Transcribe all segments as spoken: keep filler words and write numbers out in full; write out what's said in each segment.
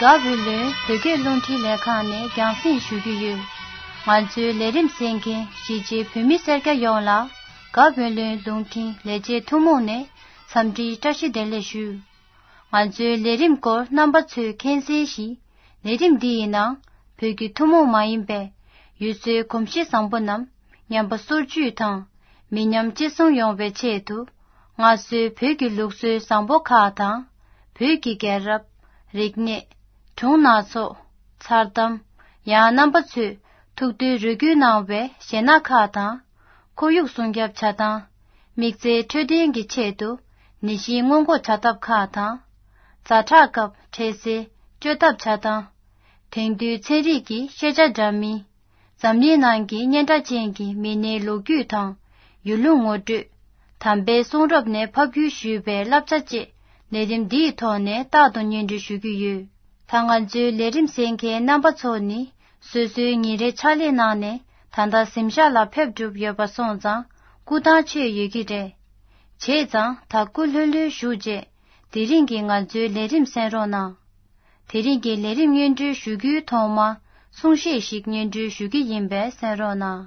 དགའ་བོད་ལུང་བོད་སྐད་རླུང་འཕྲིན་ལས་ཁང་ནས་རྒྱང་སྲིང་ཞུ་རྒྱུ་ཡོད། ང་ཚོའི་ལས་རིམ་གསན་མཁན་གཞིས་བྱེས་བོད་མི་སེར་སྐྱ་ཡོངས་ལ་དགའ་བོད་ལུང་རླུང་འཕྲིན་ལས་བྱེད་ཐུན་མོང་ནས་འཚམས་འདྲིའི་བཀྲ་ཤིས་བདེ་ལེགས་ཞུ། ང་ཚོའི་ལས་རིམ་སྐོར་རྣམ་པ་ཚོས་མཁྱེན་གསལ་བཞིན། ལས་རིམ་འདི་ཡི་ནང་བོད་ཀྱི་ཐུན་མོང་མ་ཡིན་པའི་ཡུལ་སྲོལ་གོམས་གཤིས་བཟང་པོ་རྣམས་ཉམས་པ་སོར་ཆུད་དང་། མི་ཉམས་གཅེས་སྲུང་ཡོང་བའི་ཆེད་དུ། སྔར་སྲོལ་བོད་ཀྱི་ལུགས་སྲོལ་བཟང་པོ་ཁག་དང་། བོད་ཀྱི་རྒྱལ་རབས། རིག་གནས། སྒྲུང་སྣ་ཚོགས། མཚར་གཏམ། ཡང་རྣམ་པ་ཚོས་ཐུགས་འདུན་རེ་སྐུལ་གནང་བའི་གཞས་སྣ་ཁག་དང་། ཁོར་ཡུག་སྲུང་སྐྱོབ་བྱ་སྟངས། དམིགས་བསལ་འཕྲོད་བསྟེན་གྱི་ཆེད་དུ་ནད་གཞི་སྔོན་འགོག་བྱ་ཐབས་ཁག་དང་། ཛ་དྲག་སྐབས་འཕྲལ་སེལ་བཅོས་ཐབས་བྱ་སྟངས། དེང་དུས་ཚན་རིག་གི་ཤེས་བྱ་འདྲ་མིན། འཛམ་གླིང་ནང་གི་སྙན་གྲགས་ཅན་གྱི་མི་སྣའི་ལོ་རྒྱུས་དང་། ཡུལ་ལུང་ངོ་སྤྲོད། དམ་པའི་གསུང་རབ་ནས་ཕབ་བསྒྱུར་ཞུས་པའི་བསླབ་བྱ་བཅས་ལས་རིམ་འདིའི་ཐོག་ནས་རྟག་ཏུ་སྙན་སྒྲོན་ཞུ་རྒྱུ་ཡོད། ད་ང་ཚོའི་ལས་རིམ་གསན་མཁན་རྣམ་པ་ཚོ་ནི་སོ་སོའི་ཉིན་རེའི་ཕྱག་ལས་གནང་ནས་ད་ལྟ་གཟིམ་ཤག་ལ་ཕེབས་གྲུབ་ཡོད་པ་སོང་ཙང་སྐུ་ཐང་ཆད་ཡོད་ཀྱི་རེད། བྱས་ཙང་ད་སྐུ་ལྷོད་ལྷོད་བཞུགས་རྗེས་དེ་རིང་གི་ང་ཚོའི་ལས་རིམ་གསན་རོགས་གནང་། དེ་རིང་གི་ལས་རིམ་སྙན་སྒྲོན་ཞུ་རྒྱུའི་ཐོག་མར་གསུང་བཤད་ཞིག་སྙན་སྒྲོན་ཞུ་གི་ཡིན་པས་གསན་རོགས་གནང་།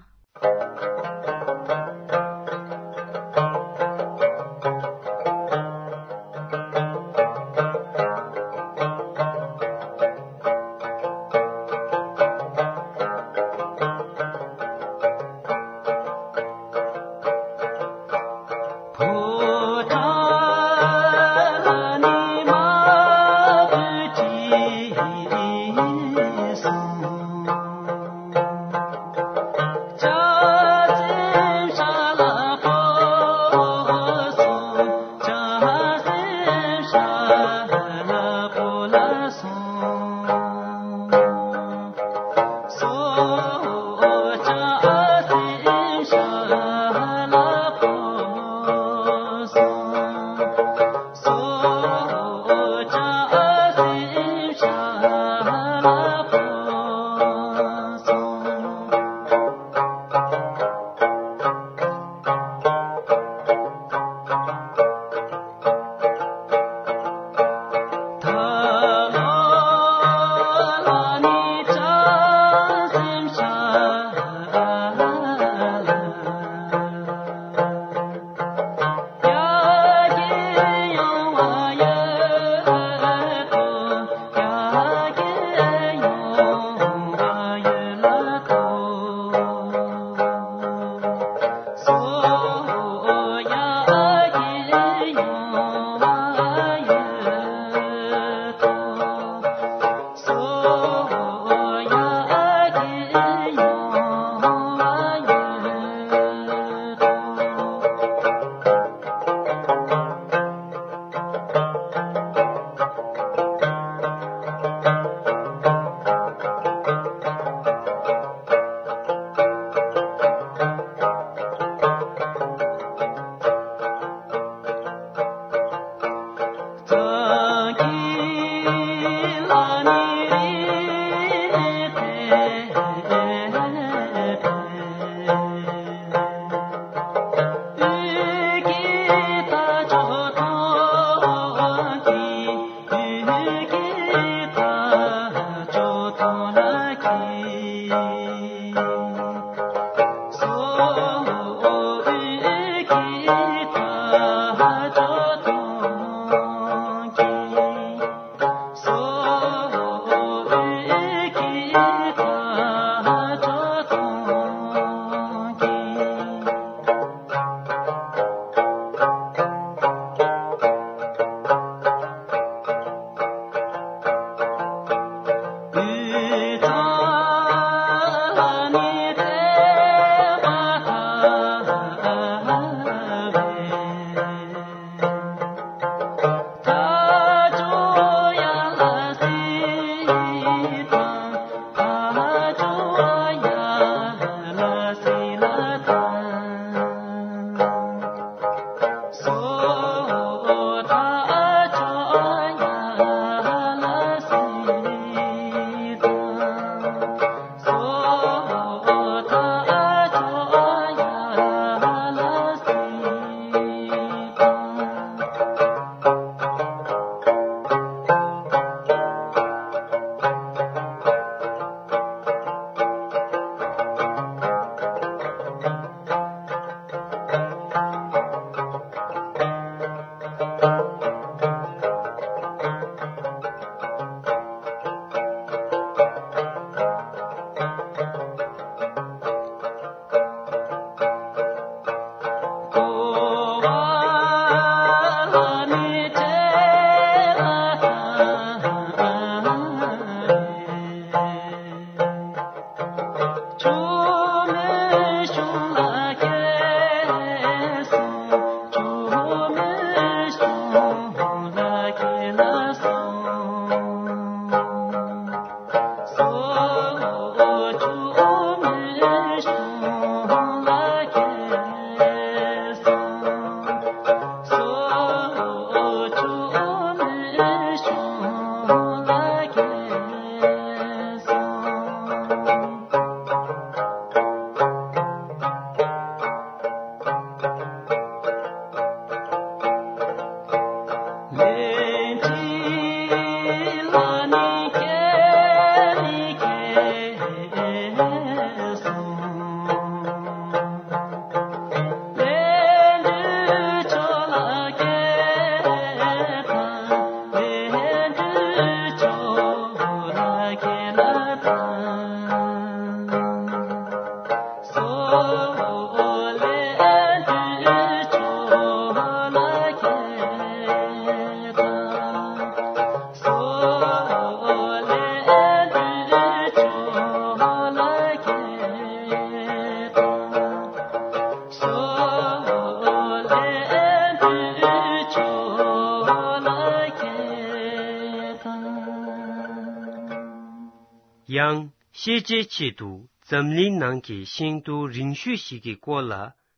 ཡང་ཤེས་བྱའི་ཆེད་དུ་འཛམ་གླིང་ནང་གི་ཤིང་སྡོང་རིང་ཤོས་ཤིག་གི་སྐོར་ལ་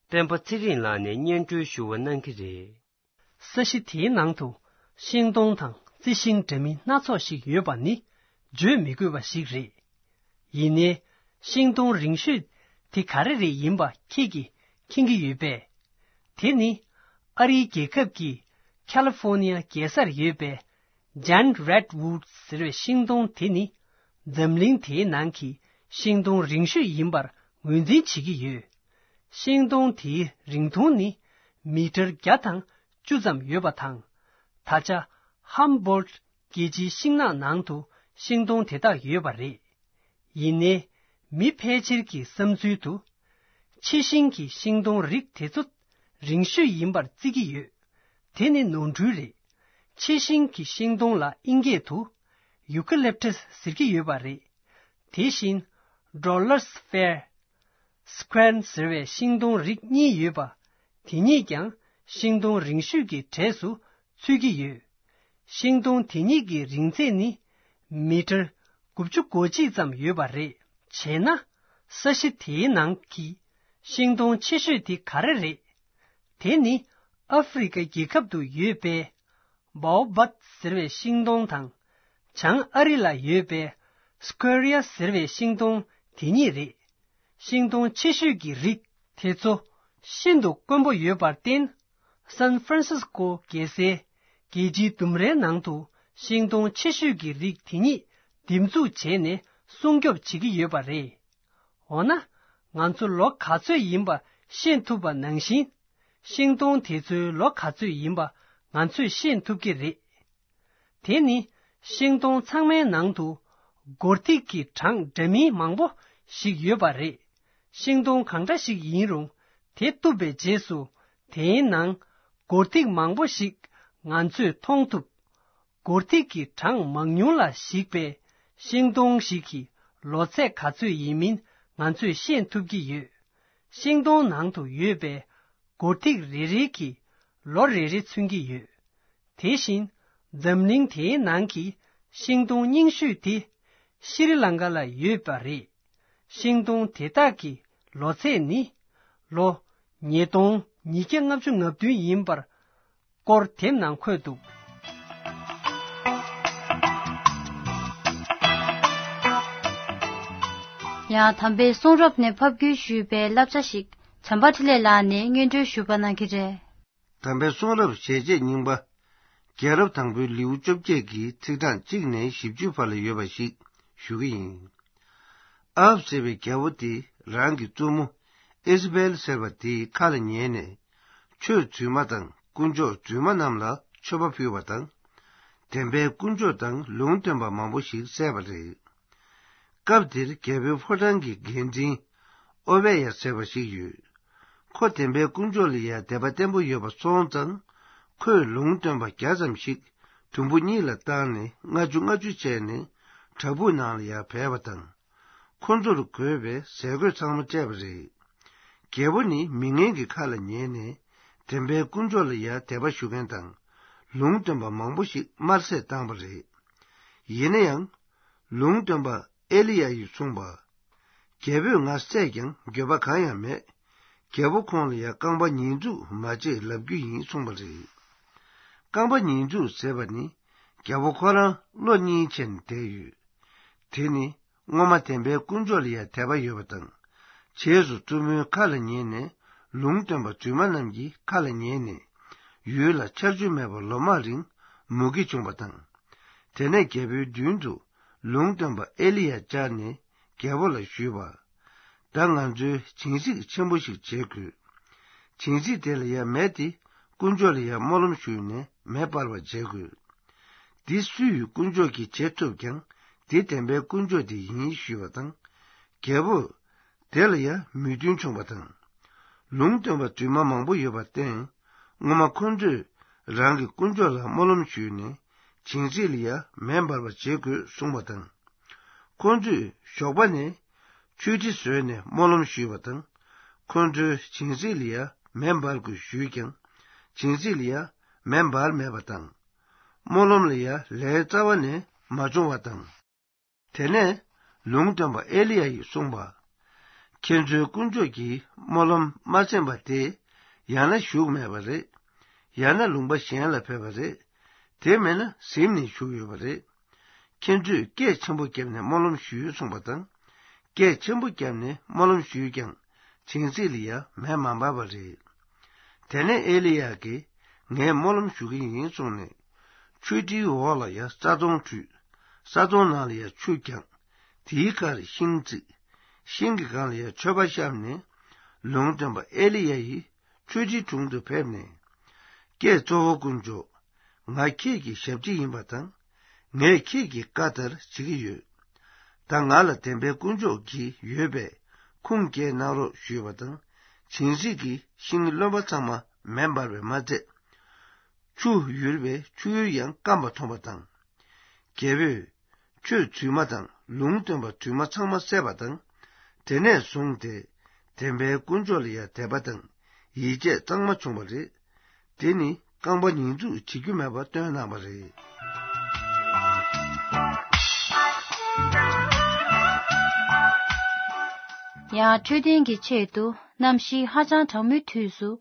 སྤེན་པ་ཚེ་རིང་ལགས་ནས་སྙན་སྒྲོན་ཞུ་བ་གནང་གི་རེད། ས་གཞི་དེའི་ནང་དུ་ཤིང་སྡོང་དང་རྩི་ཤིང་འདྲ་མིན་སྣ་ཚོགས་ཤིག་ཡོད་པ་ནི་བརྗོད་མི་དགོས་པ་ཞིག་རེད། ཡིན་ནའི་ཤིང་སྡོང་རིང་ཤོས་དེ་ག་རེ་རེད་ཡིན་པ་ཁྱེད་ཀྱིས་མཁྱེན་གྱི་ཡོད་པས། དེ་ནི་ཨ་རིའི་རྒྱལ་ཁབ་ཀྱི་ཁ་ལི་ཧྥོ་ནི་ཡ་རྒྱལ་སར་ཡོད་པའི་ཇན་རེད་ཝུད་ཟེར་བའི་ཤིང་སྡོང་དེ་ནི་འཛམ་གླིང་དེའི་ནང་གི་ཤིང་སྡོང་རིང་ཤོས་ཡིན་པར་ངོས་འཛིན་བྱེད་ཀྱི་ཡོད། ཤིང་སྡོང་དེའི་རིང་ཐུང་ནི་མི་ཊར་བརྒྱ་དང་བཅུ་ཙམ་ཡོད་པ་དང་། ད་ཆ་ཧམ་བྷོལ་ཊི་རྒྱལ་སྤྱིའི་ཤིང་ནགས་ནང་དུ་ཤིང་སྡོང་དེ་དག་ཡོད་པ་རེད། ཡིན་ནའི་མི་ཕལ་ཆེར་གྱི་བསམ་ཚུལ་དུ། ཕྱི་ཤིང་གི་ཤིང་སྡོང་རིགས་དེ་ཚོ་རིང་ཤོས་ཡིན་པར་བརྩི་གི་ཡོད། དེ་ནི་ནོར་འཁྲུལ་རེད། ཕྱི་ཤིང་གི་ཤིང་སྡོང་ལ་དབྱིན་སྐད་དུ་ཡུ་ཀ་ལིབ་ཊས་ཟེར་གྱི་ཡོད་པ་རེད། དེ་བཞིན་ཌོ་ལར་ཕེར། སི་ཀུ་ཝེར་ཟེར་བའི་ཤིང་སྡོང་རིགས་གཉིས་ཡོད་པ། དེ་གཉིས་ཀྱང་ཤིང་སྡོང་རིང་ཤོས་ཀྱི་གྲས་སུ་ཚུད་ཀྱི་ཡོད། ཤིང་སྡོང་དེ་གཉིས་ཀྱི་རིང་ཚད་ནི་མི་ཊར་དགུ་བཅུ་གོ་གཅིག་ཙམ་ཡོད་པ་རེད། བྱས་ན་ས་གཞི་དེའི་ནང་གི་ཤིང་སྡོང་ཆེ་ཤོས་དེ་ག་རེ་རེད། དེ་ནི་ཨ་ཧྥེ་རི་ཁ་རྒྱལ་ཁབ་ཏུ་ཡོད་པའི་བའོ་བཱབ་ཟེར་བའི་ཤིང་སྡོང་དང་། བྱང་ཨ་རི་ལ་ཡོད་པའི་སི་ཀོ་རི་ཡ་ཟེར་བའི་ཤིང་སྡོང་དེ་གཉིས་རེད། ཤིང་སྡོང་ཆེ་ཤོས་ཀྱི་རིགས་དེ་ཚོ་ཤིན་ཏུ་དཀོན་པོ་ཡོད་པར་བརྟེན། སན་ཧྥ་རན་སིས་ཀོ་རྒྱལ་སའི་རྒྱལ་སྤྱིའི་ལྡུམ་རའི་ནང་དུ་ཤིང་སྡོང་ཆེ་ཤོས་ཀྱི་རིགས་དེ་ཉིད་འདེབས་འཛུགས་བྱས་ནས་སྲུང་སྐྱོབ་བྱེད་ཀྱི་ཡོད་པ་རེད། འོ་ན། ང་ཚོ་ལོ་ག་ཚོད་ཡིན་པ་ཤེས་ཐུབ་པ་ནང་བཞིན། ཤིང་སྡོང་དེ་ཚོའི་ལོ་ག་ཚོད་ཡིན་པ་ང་ཚོས་ཤེས་ཐུབ་ཀྱི་རེད། དེ་ནི་ཤིང་སྡོང་ཚང་མའི་ནང་དུ་སྒོར་ཐིག་གི་གྲངས་འདྲ་མིན་མང་པོ་ཞིག་ཡོད་པ་རེད། ཤིང་སྡོང་གང་འདྲ་ཞིག་ཡིན་རུང་དེ་གཏུབ་པའི་རྗེས་སུ་དེའི་ནང་སྒོར་ཐིག་མང་པོ་ཞིག་ང་ཚོས་མཐོང་ཐུབ། སྒོར་ཐིག་གི་གྲངས་མང་ཉུང་ལ་གཞིགས་པའི་ཤིང་སྡོང་ཞིག་གི་ལོ་ཚད་ག་ཚོད་ཡིན་མིན་ང་ཚོས་ཤེས་ཐུབ་ཀྱི་ཡོད། ཤིང་སྡོང་ནང་དུ་ཡོད་པའི་སྒོར་ཐིག་རེ་རེ་གིས་ལོ་རེ་རེ་མཚོན་གྱི་ཡོད། དེ་བཞིན་འཛམ་གླིང་དེའི་ནང་གི་ཤིང་སྡོང་རྙིང་ཤོས་དེ་ཤྲི་ལང་ཀ་ལ་ཡོད་པ་རེད། ཤིང་སྡོང་དེ་དག་གི་ལོ་ཚད་ནི་ལོ་ཉིས་སྟོང་ཉིས་བརྒྱ་ལྔ་བཅུ་ང་བདུན་ཡིན་པར་སྐོར་དེབ་ནང་འཁོད་འདུག། ཡང་དམ་པའི་གསུང་རབ་ནས་ཕབ་བསྒྱུར་ཞུས་པའི་བསླབ་བྱ་ཞིག་བྱམས་པ་འཕྲིན་ལས་ལགས་ནས་སྙན་སྒྲོན་ཞུ་བ་གནང་གི་རེད། དམ་པའི་གསུང་རབ་ཞལ་ཆད་རྙིང་པ། རྒྱལ་རབས་དང་པོའི་ལེའུ་བཅོ་བརྒྱད་ཀྱི་ཚིག་གྲངས་གཅིག་ནས་བཞི་བཅུ་བར་ལ་ཡོད་པ་ཞིག་ཞུ་གི་ཡིན། ཨ་ཧབ་ཟེར་བའི་རྒྱལ་པོ་དེ་རང་གི་བཙུན་མོ་ཨེ་ཟི་བེལ་ཟེར་བ་དེའི་ཁ་ལ་ཉན་ནས། ཆོས་རྫུན་མ་དང་དཀོན་མཆོག་རྫུན་མ་རྣམས་ལ་མཆོད་པ་ཕུལ་བ་དང་། བདེན་པའི་དཀོན་མཆོག་དང་ལུང་སྟོན་པ་མང་པོ་ཞིག་བསད་པ་རེད། སྐབས་དེར་རྒྱལ་པོའི་ཕོ་བྲང་གི་འགན་འཛིན་ཨོ་བེ་ཡ་ཟེར་བ་ཞིག་ཡོད། ཁོ་བདེན་པའི་དཀོན་མཆོག་ལ་ཡང་དད་པ་བརྟན་པོ་ཡོད་པ་སོང་ཙང་། ཁོས་ལུང་སྟོན་པ་བརྒྱ་ཙམ་ཞིག་དུམ་བུ་གཉིས་ལ་བཏང་ནས་ལྔ་བཅུ་ལྔ་བཅུ་བྱས་ནས་བྲག་ཕུག་ནང་ལ་ཡང་བསྡད་པ་དང་། ཁོ་ཚོར་དགོས་པའི་ཟས་གོས་ཚང་མ་སྤྲད་པ་རེད། རྒྱལ་པོ་ནི་མི་ངན་གྱི་ཁ་ལ་ཉན་ནས་བདེན་པའི་དཀོན་མཆོག་ལ་ཡང་དད་པ་ཞུ་མཁན་དང་། ལུང་སྟོན་པ་མང་པོ་ཞིག་དམར་བསད་བཏང་བ་རེད། ཡིན་ན་ཡང་། ལུང་སྟོན་པ་ཨེ་ལི་ཡ་ཡིས་གསུངས་པ། རྒྱལ་པོས་ང་བསད་ཀྱང་འགྱོད་པ་གང་ཡང་མེད། རྒྱལ་པོ་ཁོང་ལ་ཡང་རྐང་པ་ཉེས་འཛུགས་མ་བྱེད་ལབ་རྒྱུ་ཡིན་གསུངས་པ་རེད། རྐང་པ་ཉེས་འཛུགས་ཟེར་བ་ནི་རྒྱལ་པོ་ཁོ་རང་བློ་གཉིས་ཆེན་བསྡད་ཡོད། དེ་ནི་སྔོན་མ་བདེན་པའི་དཀོན་མཆོག་ལ་ཡང་དད་པ་ཡོད་པ་དང་། རྗེས་སུ་བཙུན་མོའི་ཁ་ལ་ཉན་ནས་ལུང་སྟོན་པ་རྫུན་མ་རྣམས་ཀྱི་ཁ་ལ་ཉན་ནས། ཡུལ་ལ་ཆར་ཆུ་མེད་པར་ལོ་མང་རིང་མུ་གེ་བྱུང་བ་དང་། དེ་ནས་རྒྱལ་པོའི་མདུན་དུ་ལུང་སྟོན་པ་ཨེ་ལི་ཡ་བཅར་ནས་རྒྱལ་པོ་ལ་ཞུས་པ། ད་ང་ཚོས་བྱིན་རྩིས་ཆེན་པོ་ཞིག་བྱེད་དགོས། བྱིན་རྩིས་དེ་ལ་ཡང་མེ་དེ་དཀོན་མཆོག་ལ་ཡང་སྨོན་ལམ་ཞུས་ནས་མེ་སྤར་བར་བྱེད་དགོས། འདི་སུའི་དཀོན་མཆོག་གིས་བྱེད་ཐུབ་ཀྱང་། འདི་བདེན་པའི་དཀོན་མཆོག་དེ་ཡིན་ཞུས་པ་དང་། རྒྱལ་པོ་དེ་ལ་ཡང་མོས་མཐུན་བྱུང་བ་དང་། ལུང་སྟོན་པ་རྫུན་མ་མང་པོ་ཡོད་པར་བརྟེན། སྔོན་མ་ཁོ་ཚོས་རང་གི་དཀོན་མཆོག་ལ་སྨོན་ལམ་ཞུས་ནས་བྱིན་རྩིས་ལ་ཡང་མེ་འབར་བར་བྱེད་དགོས་གསུངས་པ་དང་། ཁོ་ཚོས་ཞོགས་པ་ནས་ཆུ་ཁྲི་བཟོས་ནས་སྨོན་ལམ་ཞུས་པ་དང་། ཁོ་ཚོའི་བྱིན་རྩིས་ལ་ཡང་མེ་འབར་དགོས་ཞུས་ཀྱང་། བྱིན་རྩིས་ལ་ཡང་མེ་འབར་མེད་པ་དང་། སྨོན་ལམ་ལ་ཡང་ལན་རྩ་བ་ནས་མ་བྱུང་བ་དང་། དེ་ནས་ ལུང་སྟོན་པ་ཨེ་ལི་ཡ་ཡིས་གསུངས་པ། ཁྱེད་ཚོའི་དཀོན་མཆོག་གིས་སྨོན་ལམ་མ་གསན་པ་དེ། ཡང་ན་བཞུགས་མེད་པ་རེད། ཡང་ན་ལུང་པ་གཞན་ལ་ཕེབས་པ་རེད། དེ་མིན་ན་གཟིམ་ནས་བཞུགས་ཡོད་པ་རེད། ཁྱེད་ཚོས་སྐད་ཆེན་པོ་བརྒྱབ་ནས་སྨོན་ལམ་ཞུས་གསུངས་པ་དང་། སྐད་ཆེན་པོ་བརྒྱབ་ནས་སྨོན་ལམ་ཞུས་ཀྱང་། བྱང་སེམས་ལ་ཡང་མེ་མ་འབར་བ་རེད། དེ་ནས་ཨེ་ལི་ཡ་གིས། ངས་སྨོན་ལམ་ཞུ་གི་ཡིན་གསུངས་ནས། མཆོད་ཁྲིའི་འོག་ལ་ཡང་ས་དོང་བྲུས། ས་དོང་ནང་ལ་ཡང་ཆུ་བརྒྱངས། དེའི་ཁར་ཤིང་བརྩིགས། ཤིང་གི་སྒང་ལ་ཡང་མཆོད་པ་བཤམས་ནས། ལུང་སྟོན་པ་ཨེ་ལི་ཡ་ཡིས་མཆོད་ཁྲིའི་དྲུང་དུ་ཕེབས་ནས། ཀྱེ་གཙོ་བོ་དཀོན་མཆོག། ང་ཁྱེད་ཀྱི་ཞབས་ཕྱི་ཡིན་པ་དང་། ངས་ཁྱེད་ཀྱི་བཀའ་ལྟར་བྱེད་ཀྱི་ཡོད། ད་ང་ལ་བདེན་པའི་དཀོན་མཆོག་གིས་ཡོད་པས་ཁུངས་སྐྱེལ་གནང་རོགས་ཞུས་པ་དང་། བྱང་སེམས་ཀྱི་ཤིང་རློན་པ་ཚང་མ་མེ་འབར་བས་མ་ཚད། ཆུ་ཡུར་བའི་ཆུ་ཡུར་ཡང་སྐམ་པ་མཐོང་བ་དང་། རྒྱལ་པོས་ཆོས་རྫུན་མ་དང་ལུང་སྟོན་པ་རྫུན་མ་ཚང་མ་བསད་པ་དང་། དེ་ནས་བཟུང་སྟེ་བདེན་པའི་དཀོན་མཆོག་ལ་ཡང་དད་པ་དང་ཡིད་ཆེས་གཙང་མ་བྱུང་བ་རེད། དེ་ནི་རྐང་པ་ཉེས་འཛུགས་བྱེད་རྒྱུ་མེད་པ་སྟོན་གནང་བ་རེད། ཡང་འཕྲོད་བསྟེན་གྱི་ཆེད་དུ་གནམ་གཤིས་ཧ་ཅང་གྲང་མོའི་དུས་སུ།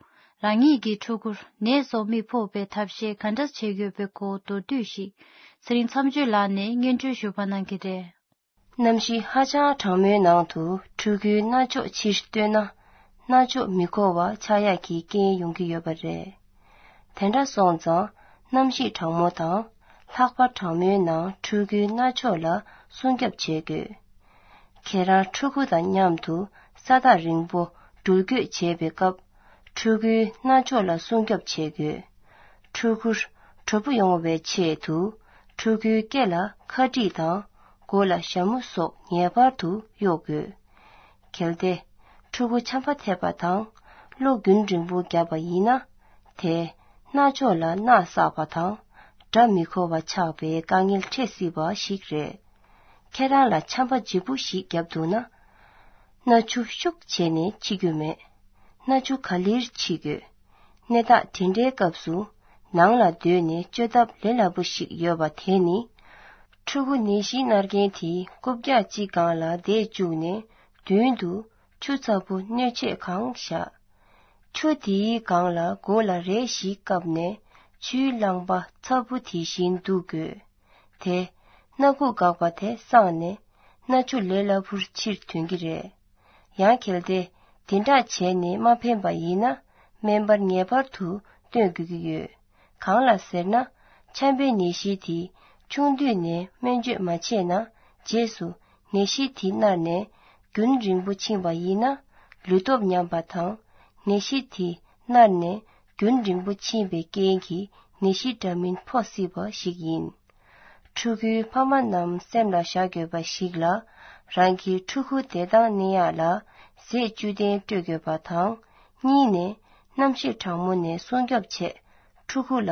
རང་ཉིད་ཀྱི་ཕྲུ་གུར་ནད་སོགས་མི་ཕོག་པའི་ཐབས་ཤེས་ག་འདྲ་བྱེད་དགོས་པའི་སྐོར་མདོར་བསྡུས་ཤིག་ཚེ་རིང་མཚམས་གཅོད་ལགས་ནས་སྙན་སྒྲོན་ཞུ་བ་གནང་གི་རེད། གནམ་གཤིས་ཧ་ཅང་གྲང་མོའི་ནང་དུ་ཕྲུ་གུའི་རྣ་ཅོག་ཕྱིར་བཏོན་ན། རྣ་ཅོག་མི་གོ་བ་ཆགས་ཡག་གི་རྐྱེན་ཡོང་གི་ཡོད་པ་རེད། དེ་འདྲ་སོང་ཙང་། གནམ་གཤིས་གྲང་མོ་དང་། ལྷགས་པ་གྲང་མོའི་ནང་ཕྲུ་གུའི་རྣ་ཅོག་ལ་སྲུང་སྐྱོབ་བྱེད་དགོས། ཁྱེད་རང་ཕྲུ་གུ་དང་མཉམ་དུ་ས་ཐག་རིང་པོ་འགྲུལ་སྐྱོད་བྱེད་པའི་སྐབས། ཕྲུ་གུའི་རྣ་ཅོག་ལ་སྲུང་སྐྱོབ་བྱེད་དགོས། ཕྲུ་གུར་དྲོ་པོ་ཡོང་བའི་ཆེད་དུ། ཕྲུ་གུའི་སྐེ་ལ་ཁ་དཀྲིས་དང་། མགོ་ལ་ཞྭ་མོ་སོགས་ངེས་པར་དུ་གཡོག་དགོས། གལ་ཏེ། ཕྲུ་གུ་ཆམ་པ་ཐེབས་པ་དང་། གློ་རྒྱུན་རིང་པོ་བརྒྱབ་པ་ཡིན་ན། དེས་རྣ་ཅོག་ལ་རྣག་བསགས་པ་དང་། སྒྲ་མི་གོ་བ་ཆགས་པའི་དཀའ་ངལ་འཕྲད་སྲིད་པ་ཞིག་རེད། ཁྱེད་རང་ལ་ཆམ་པ་ལྗིད་པོ་ཞིག་བརྒྱབ་འདུག་ན། སྣ་ཆུ་ཤུགས་བྱས་ནས་འཁྱེར་རྒྱུ་མེད། སྣ་ཆུ་ག་ལེར་འཁྱེར་དགོས། གནས་སྟངས་དེ་འདྲའི་སྐབས་སུ། ནང་ལ་སྡོད་ནས་བཅོས་ཐབས་ལས་སླ་པོ་ཞིག་ཡོད་པ་དེ་ནི། ཕྲུ་གུ་ནད་གཞི་མནར་མཁན་དེ་རྐུབ་བཀྱག་གཅིག་སྒང་ལ་བསྡད་བཅུག་ནས། མདུན་དུ་ཆུ་ཚ་པོ་སྣོད་ཆས་གང་བཞག་ཆུ་དེའི་སྒང་ལ་མགོ་ལ་རས་ཤིག་བཀབ་ནས། ཆུའི་རླངས་པ་ཚ་པོ་དེ་བཞིན་བླུག་དགོས། དེ། སྣ་ཁུག་འགག་པ་དེ་སངས་ནས། སྣ་ཆུ་ལས་སླ་པོར་ཕྱིར་ཐོན་གྱི་རེད། ཡང་གལ་ཏེ། དེ་འདྲ་བྱས་ནས་མ་ཕན་པ་ཡིན་ན། སྨན་པར་ངེས་པར་དུ་སྟོན་དགོས་ཀྱི་ཡོད། གང་ལ་ཟེར་ན། ཆམ་པའི་ནད་གཞི་དེ། ཆུང་དུས་ནས་སྨན་བཅོས་མ་བྱས་ན། རྗེས་སུ། ནད་གཞི་དེ་མནར་ནས། རྒྱུན་རིང་པོ་ཕྱིན་པ་ཡིན་ན། ལུས་སྟོབས་ཉམས་པ་དང་། ནད་གཞི་དེ་མནར་ནས། རྒྱུན་རིང་པོ་ཕྱིན་པའི་རྐྱེན་གྱིས། ནད་གཞི་འདྲ་མིན་ཕོག་སྲིད་པ་ཞིག་ཡིན། ཕྲུ་གུའི་ཕ་མ་རྣམས་སེམས་ལ་བཞག་དགོས་པ་ཞིག་ལ། རང་གི་ཕྲུ་གུ་བདེ་ཐང་གནས་ཡག་ལ། ཟས་བཅུད་ལྡན་སྤྲོད་དགོས་པ་དང་། གཉིས་ནས། གནམ་གཤིས་གྲང་མོ་ནས་སྲུང་སྐྱོབ་ཆེད། ཕྲུ་གུ་ལ་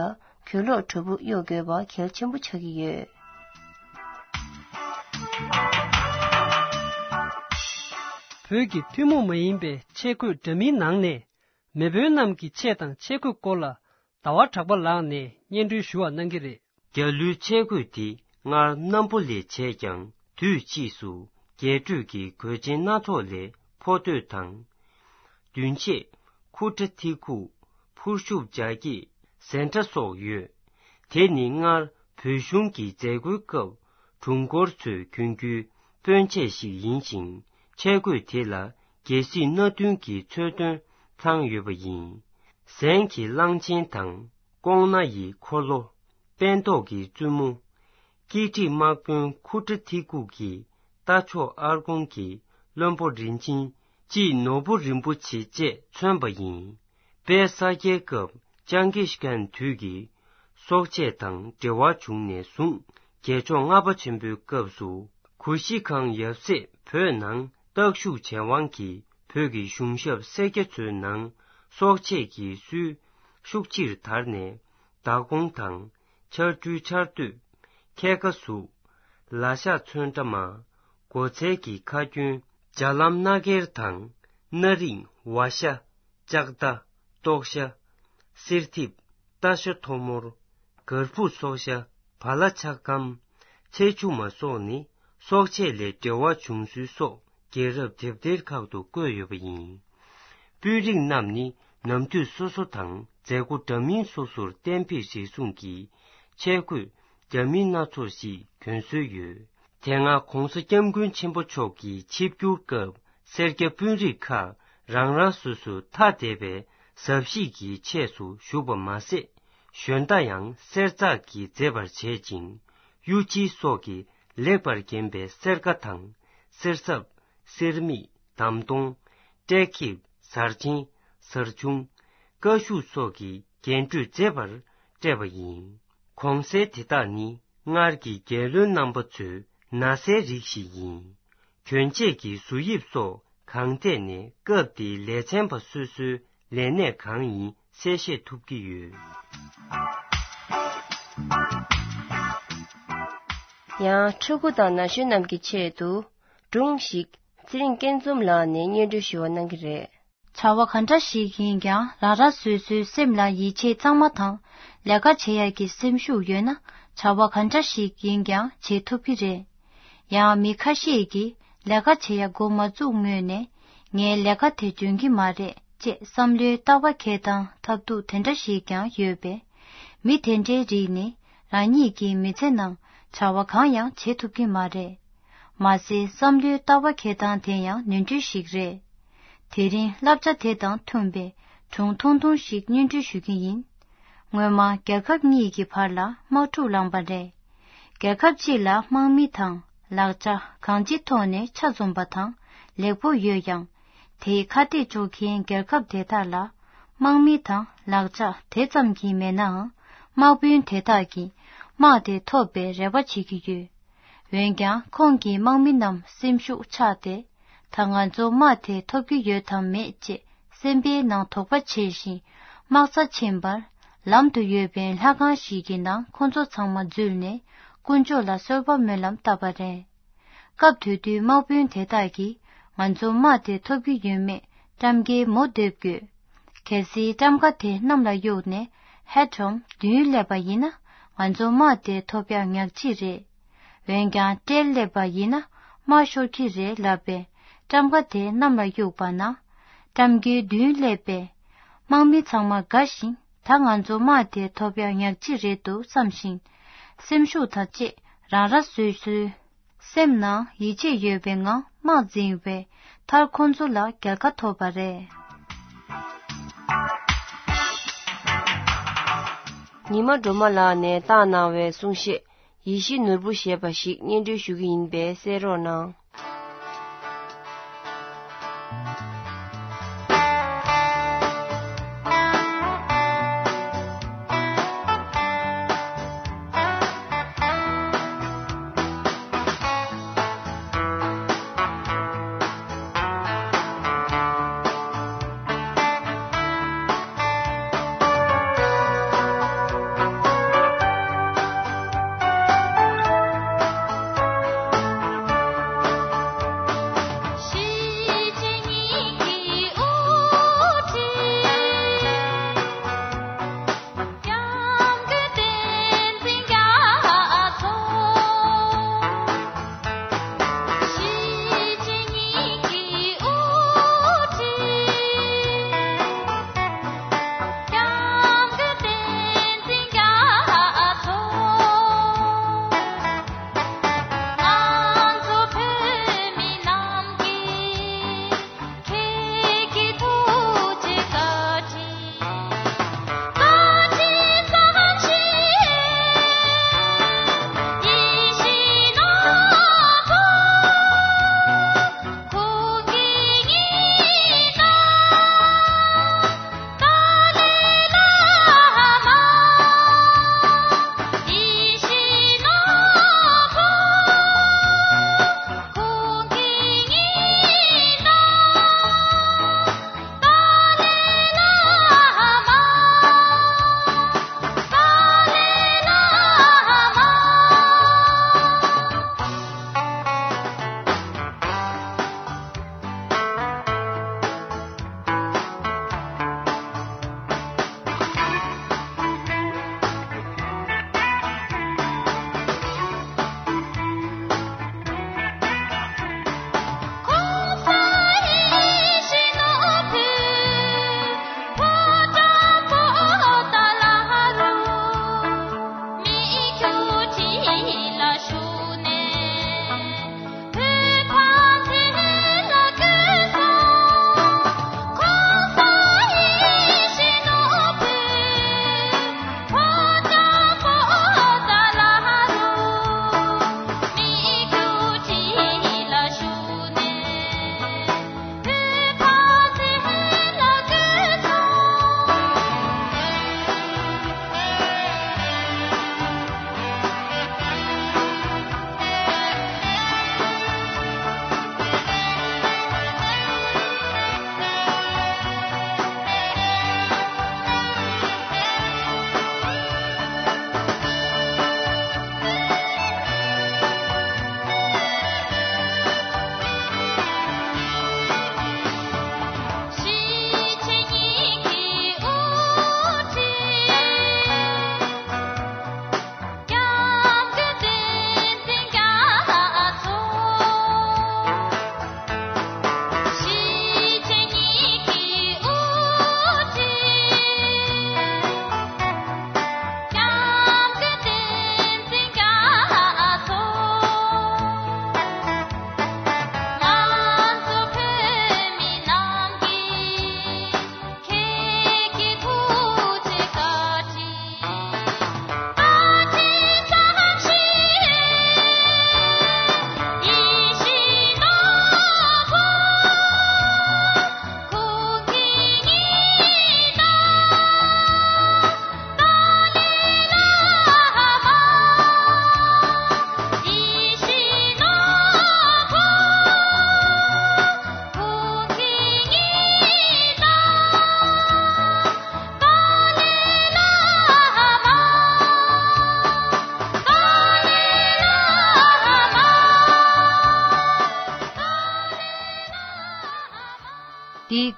གྱོད་ལོག་དྲོ་པོ་གཡོག་དགོས་པ་གལ་ཆེན་པོ་ཆགས་ཀྱི་ཡོད། བོད་ཀྱི་ཐུན་མོང་མ་ཡིན་པའི་ཆས་གོས་འདྲ་མིན་ནང་ནས། མེས་དབོན་རྣམས་ཀྱི་ཆས་དང་ཆས་གོས་སྐོར་ལ། ཟླ་བ་གྲགས་པ་ལགས་ནས་སྙན་སྒྲོན་ཞུ་བ་གནང་གི་རེད། རྒྱ་ལོའི་ཆས་གོས་དེ་སྔར་གནམ་པོ་ལས་བྱས་ཀྱང་། དུས་ཕྱིས་སུ་རྒྱས་སྤྲོས་ཀྱི་གོས་ཆེན་སྣ་ཚོགས་ལས་ཕོ་སྟོད་དང་། མདུན་ཆས། ཁུ་ཁྲ་ཐི་ཁུག་ཕུར་ཤུབས་རྒྱ་སྐྱེགས་ཟན་ཁྲ་སོགས་ཡོད། དེ་ནི་སྔར་བོད་གཞུང་གི་མཛད་སྒོའི་སྐབས་དྲུང་འཁོར་ཚོས་གྱོན་རྒྱུའི་སྤུན་ཆས་ཤིག་ཡིན་ཞིང་། ཆས་གོས་དེ་ལ་རྒྱལ་སྲིད་སྣ་བདུན་གྱི་མཚོན་དོན་ཚང་ཡོད་པ་ཡིན། ཟན་གྱི་གླང་ཆེན་དང་། ཀོང་ན་ཡི་འཁོར་ལོ། སྤེན་ཏོག་གི་བཙུན་མོ། སྐྱིད་ཁྲི་དམག་དཔོན་ཁུ་ཁྲ་ཐི་ཁུག་གི་རྟ་མཆོག་ཨར་ཀོང་གི་བློན་པོ་རིན་ཆེན་གཅིག་ནོར་བུ་རིན་པོ་ཆེ་བཅས་མཚོན་པ་ཡིན། དཔལ་ས་སྐྱའི་སྐབས་ཅང་གིས་ཁན་དུས་ཀྱི་སྲོག་ཆས་དང་འབྲེལ་བ་བྱུང་ནས་བཟུང་རྒྱལ་མཆོག་ལྔ་པ་ཆེན་པོའི་སྐབས་སུ་གུ་ཤྲི་ཁང་ཡབ་སྲས་བོད་ནང་བརྟག་ཞིབ་བྱས་དབང་གིས་བོད་ཀྱི་གཞུང་ཞབས་སེར་སྐྱ་ཚོའི་ནང་སྲོག་ཆས་ཀྱི་སྲོལ་ཤུགས་ཆེར་དར་ནས། མདའ་གོང་དང་། ཆར་སྦྲུལ་ཆར་སྟོད། ཁལ་ཁ་གཟུགས། ལ་ཤག་ཚོན་ཁྲ་མ། སྒོ་ཚལ་གྱི་ཁ་སྐྱོན། ལྗ་ལམ་སྣ་སྒེར་དང་། སྣ་རིང་། ཝ་ཤ། ལྕགས་མདའ། ཏོག་ཤ། གསེར་ཐིབས། རྟ་ཤ་ཐོ་མོར། གར་ཕུག་སོག་ཤ། བ་ལ་ཆག་སྐམ། ཚེ་ཆུ་མ་སོགས་ནི་ སྲོག་ཆད་ལས་འབྲེལ་བ་བྱུང་ཚུལ་སོགས་རྒྱལ་རབས་དེབ་ཐེར་ཁག་ཏུ་བཀོད་ཡོད་པ་ཡིན། དཔོན་རིགས་རྣམས་ནི་ནམ་དུས་སོ་སོ་དང་མཛད་སྒོ་འདྲ་མིན་སོ་སོར་གཏན་འབེབས་རེ་ཟུང་གིས་ཆས་གོས་འདྲ་མིན་སྣ་ཚོགས་ཤིག་གྱོན་སྲོལ་ཡོད། དེ་སྔ་༧གོང་ས་༧སྐྱབས་མགོན་ཆེན་པོ་མཆོག་གིས་ཆིབས་བསྒྱུར་སྐབས་སེར་སྐྱ་དཔོན་རིགས་ཁག་རང་རང་སོ་སོའི་ཐ་དད་པའི་གཟབ་གཤིས་ཀྱི་ཆས་སུ་བཞུགས་པ་མ་ཟད། ཞོན་རྟ་ཡང་གསེར་ཙག་གིས་མཛེས་པར་བྱེད་ཅིང་། གཡུ་ལྕི་སོགས་ཀྱིས་ལེགས་པར་བརྒྱན་པའི་གསེར་ཁ་དང་། གསེར་སྲབ། གསེར་མིག། འདམ་དོང་། ཏྲེ་ཁིབ། གཟར་ཆེན། གཟར་ཆུང་། ཀ་ཤུ་སོགས་ཀྱིས་རྒྱན་སྤྲོས་མཛེས་པར་སྤྲས་པ་ཡིན། གོང་གསལ་དེ་དག་ནི་སྔར་གྱི་རྒྱལ་བློན་རྣམ་པ་ཚོའི་ན་བཟའི་རིགས་ཤིག་ཡིན། གྱོན་ཆས་ཀྱི་བཟོ་དབྱིབས་སོགས་གང་ཐད་ནས་སྐབས་དེའི་ལས་ཚན་པ་སོ་སོའི་ལས་གནས་གང་ཡིན་གསལ་བཤད་ཐུབ་ཀྱི་ཡོད། ཡང་ཕྲུ་གུ་དང་ན་གཞོན་རྣམས་ཀྱི་ཆེད་དུ་སྒྲུང་ཞིག་ཚེ་རིང་སྐྱིད་འཛོམས་ལགས་ནས་སྙན་སྒྲོན་ཞུ་བ་གནང་གི་རེད། བྱ་བ་ག་འདྲ་ཞིག་ཡིན་ཀྱང་རང་རང་སོ་སོའི་སེམས་ལ་ཡིད་ཆེས་གཙང་མ་དང་ལས་ཀ་བྱེད་ཡག་གི་སེམས་ཤུགས་ཡོད་ན་བྱ་བ་ག་འདྲ་ཞིག་ཡིན་ཀྱང་བྱེད་ཐུབ་ཀྱི་རེད། ཡང་མི་ཁ་ཤས་ཀྱིས་ལས་ཀ་བྱེད་ཡག་འགོ་མ་བཙུགས་སྔོན་ནས་ངས་ལས་ཀ་དེ་འཇོན་གྱི་མ་རེད་ཅེས་བསམ་བློའི་ལྟ་བ་འཁྱེར་སྟངས་ཐབས་སྡུག་དེ་འདྲ་ཞིག་ཀྱང་ཡོད་པས། མི་དེ་འདྲའི་རིགས་ནི་རང་ཉིད་ཀྱི་མི་ཚེ་ནང་བྱ་བ་གང་ཡང་བྱེད་ཐུབ་ཀྱི་མ་རེད། མ་ཟད་བསམ་བློའི་ལྟ་བ་འཁྱེར་སྟངས་དེ་ཡང་ནོར་འཁྲུལ་ཞིག་རེད། དེ་རིང་བསླབ་བྱ་དེ་དང་མཐུན་པའི་སྒྲུང་ཐུང་ཐུང་ཞིག་སྙན་སྒྲོན་ཞུ་གི་ཡིན། སྔོན་མ་རྒྱལ་ཁབ་གཉིས་ཀྱི་བར་ལ་དམག་འཁྲུག་ལངས་པ་རེད། རྒྱལ་ཁབ་གཅིག་ལ་དམག་མི་དང་ལག་ཆ་གང་ཅིའི་ཐོག་ནས་ཆ་འཛོམས་པ་དང་ལེགས་པོ་ཡོད་ཀྱང་། དེའི་ཁ་གཏད་གཅོག་མཁན་རྒྱལ་ཁབ་དེ་དག་ལ་དམག་མི་དང་ལག་ཆ་དེ་ཙམ་གྱིས་མེད་ནའང་། དམག་དཔོན་དེ་དག་གིས་དམག་དེ་ཐོབ་པའི་རེ་བ་བྱེད་ཀྱི་ཡོད། འོན་ཀྱང་ཁོང་གི་དམག་མི་རྣམས་སེམས་ཤུགས་ཆག་སྟེ། ད་ང་ཚོ་དམག་དེ་ཐོབ་ཀྱི་ཡོད་དམ་མེད་ཅེས་སེམས་པའི་ནང་དོགས་པ་བྱེད་བཞིན་དམག་རྩ་ཕྱིན་པར་ལམ་དུ་ཡོད་པའི་ལྷ་ཁང་ཞིག་གི་ནང་ཁོ་ཚོ་ཚང་མ་འཛུལ་ནས་དཀོན་མཆོག་ལ་གསོལ་བ་སྨོན་ལམ་བཏབ་པ་རེད། སྐབས་དེ་དུས་དམག་དཔོན་དེ་དག་གིས་ང་ཚོ་དམག་དེ་ཐོབ་ཀྱི་ཡོད་མེད་ཊམ་ཀའི་མུ་སྟེགས་དགོས། གལ་སྲིད་ཊམ་ཀ་དེ་གནམ་ལ་གཡུགས་ནས་ཧེ་ཊོམ་མདུན་སླེབས་པ་ཡིན་ན་ང་ཚོ་དམག་དེ་ཐོབ་ཡག་ཉག་གཅིག་རེད། འོན་ཀྱང་ཊེལ་སླེབས་པ་ཡིན་ན་དམག་ཤོར་གྱི་རེད་ལབ་པས་ཊམ་ཀ་དེ་གནམ་ལ་གཡུགས་པ་ན། ཊམ་ཀའི་མདུན་སླེབས་པས། དམག་མི་ཚང་མ་དགའ་བཞིན་ད་ང་ཚོ་དམག་དེ་ཐོབ་ཡག་ཉག་གཅིག་རེད་འདུག་བསམ་བཞིན། སེམས་ཤུགས་དང་བཅས་རང་རང་སོ་སོའི་སེམས་ནང་ཡིད་ཆེས་ཡོད་པའི་ངང་དམག་འཛིང་བས་མཐར་ཁོང་ཚོ་ལ་རྒྱལ་ཁ་ཐོབ་པ་རེད། ཉི་མ་སྒྲོལ་མ་ལགས་ནས་བཏང་གནང་བའི་གསུང་བཤད་ཡིད་བཞིན་ནོར་བུ་ཞེས་པ་ཞིག་སྙན་སྒྲོན་ཞུ་གི་ཡིན་པས་གསན་རོགས་གནང་།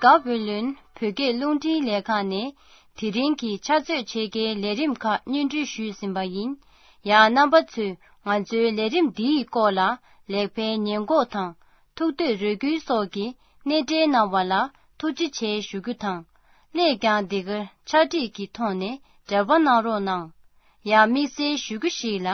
དགའ་བོད་ལོན་བོད་སྐད་རླུང་འཕྲིན་ལས་ཁང་ནས་དེ་རིང་གི་ཕྱག་ཚོད་ཕྱེད་ཀའི་ལས་རིམ་ཁག་སྙན་སྒྲོན་ཞུས་ཟིན་པ་ཡིན། ཡང་རྣམ་པ་ཚོས་ང་ཚོའི་ལས་རིམ་འདིའི་སྐོར་ལ་ལེགས་སྤེལ་ཉེས་འགོག་དང་ཐུགས་འདོད་རེ་སྐུལ་སོགས་ཀྱི་གནས་འབྲེལ་གནང་བ་ལ་ཐུགས་རྗེ་ཆེ་ཞུ་རྒྱུ་དང་། སླད་ཀྱང་འདི་གར་ཕྱག་བྲིས་ཀྱི་ཐོག་ནས་འབྲེལ་བ་གནང་རོགས་གནང་། ཡང་དམིགས་བསལ་ཞུ་རྒྱུ་ཞིག་ལ་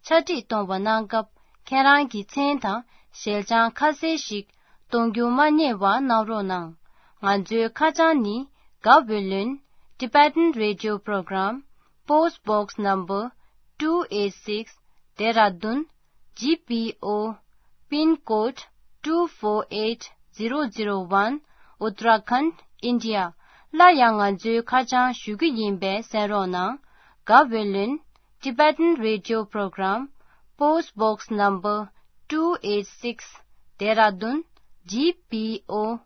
ཕྱག་བྲིས་གཏོང་བ་གནང་སྐབས་ཁྱེད་རང་གི་མཚན་དང་ཞལ་བྱང་ཁ་གསལ་ཞིག་གཏོང་རྒྱུ་མ་བསྙེལ་བ་གནང་རོགས་གནང་། ང་ཚོའི་ཁ་བྱང་ནི། དགའ་བོད་ལོན། Tibetan Radio Program, Post Box Number two eight six, Dehradun, G P O, Pin Code two four eight zero zero one, Uttarakhand, India. སླར་ཡང་ང་ཚོའི་ཁ་བྱང་ཞུ་རྒྱུ་ཡིན་པས་གསན་རོགས་གནང་། དགའ་བོད་ལོན། Tibetan Radio Program, Post Box Number two eight six, Dehradun, G P O,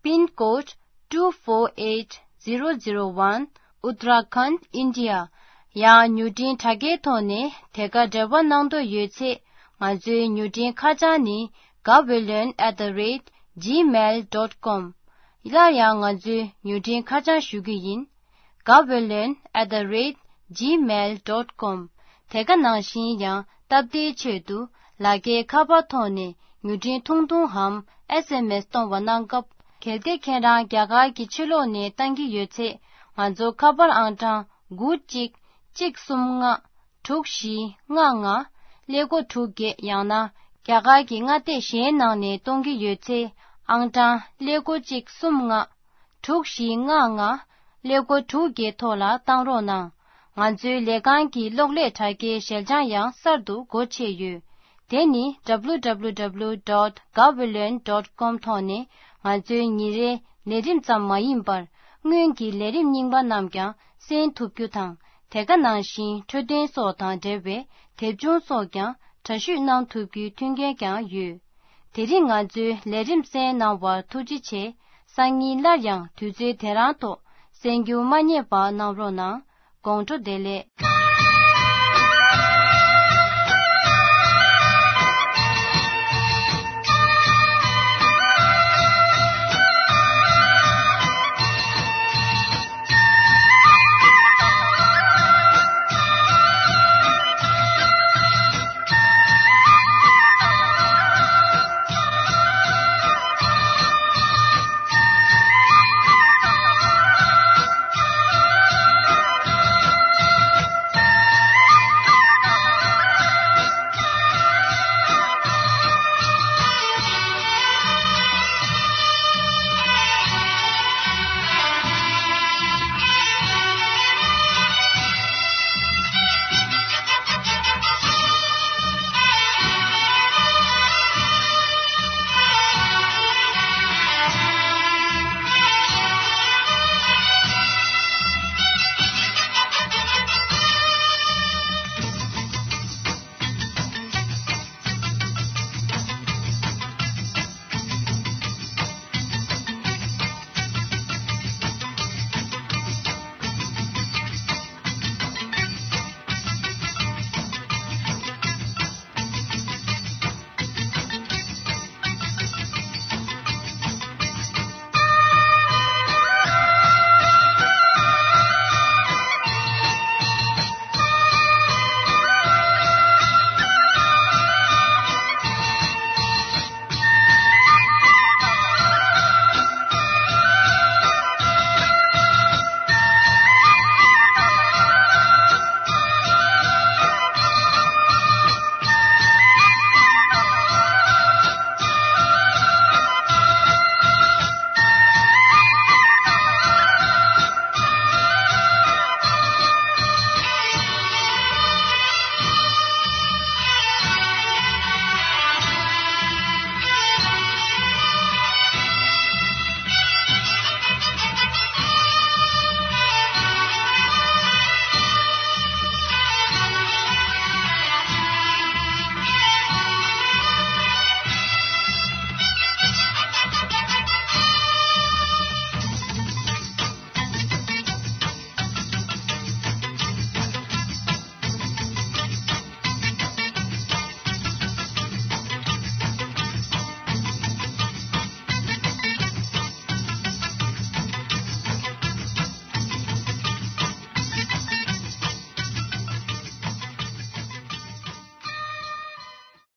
Pin Code two four eight zero zero one, Uttarakhand, India. ཡང་མྱུར་འཕྲིན་དྲ་རྒྱའི་ཐོག་ནས་དེ་ག་འབྲེལ་བ་གནང་འདོད་ཡོད་ཚེ། ང་ཚོའི་མྱུར་འཕྲིན་ཁ་བྱང་ནི། Gaweylon at the rate gmail dot com. སླར་ཡང་ང་ཚོའི་མྱུར་འཕྲིན་ཁ་བྱང་ཞུ་རྒྱུ་ཡིན། Gaweylon at the rate gmail dot com. དེ་ག་ནང་བཞིན་ཡང་སྟབས་བདེའི་ཆེད་དུ་ལག་འཁྱེར་ཁ་པར་ཐོག་ནས་མྱུར་འཕྲིན་ཐུང་ཐུང་འམ་S M S གཏོང་བ་གནང་སྐབས། གལ་ཏེ་ཁྱེད་རང་རྒྱ་གར་གྱི་ཕྱི་ལོགས་ནས་བཏང་གི་ཡོད་ཚེ། ང་ཚོ་ཁ་པར་ཨང་གྲངས་དགུ་གཅིག་གཅིག་གསུམ་ལྔ། དྲུག་བཞི་ལྔ་ལྔ། ཀླད་ཀོར་དྲུག་བརྒྱད། ཡང་ན་རྒྱ་གར་གྱི་མངའ་སྡེ་གཞན་ནང་ནས་གཏོང་གི་ཡོད་ཚེ། ཨང་གྲངས་ཀླད་ཀོར་གཅིག་གསུམ་ལྔ། དྲུག་བཞི་ལྔ་ལྔ། ཀླད་ཀོར་དྲུག་བརྒྱད་ཐོག་ལ་བཏང་རོགས་གནང་། ང་ཚོའི་ལས་ཁང་གི་གློག་ཀླད་དྲ་རྒྱའི་ཞལ་བྱང་ཡང་གསར་དུ་སྒོ་ཕྱེ་ཡོད། དེ་ནི་W W W dot gaweylon dot com ཐོག་ནས་ང་ཚོའི་ཉིན་རེའི་ལས་རིམ་ཙམ་མ་ཡིན་པར། སྔོན་གྱི་ལས་རིམ་རྙིང་པ་རྣམས་ཀྱང་གསན་ཐུབ་རྒྱུ་དང་། དེ་ག་ནང་བཞིན་འཕྲོད་བསྟེན་སོགས་དང་འབྲེལ་བའི་དེབ་ཆུང་སོགས་ཀྱང་འདྲ་བཤུས་གནང་ཐུབ་རྒྱུའི་མཐུན་རྐྱེན་ཀྱང་ཡོད། དེ་རིང་ང་ཚོའི་ལས་རིམ་གསན་གནང་བར་ཐུགས་རྗེ་ཆེ། སང་ཉིན་སླར་ཡང་དུས་ཚོད་དེ་རང་ཐོག་གསན་རྒྱུ་མ་བསྙེལ་བ་གནང་རོགས་གནང་། དགོང་དྲོ་བདེ་ལེགས།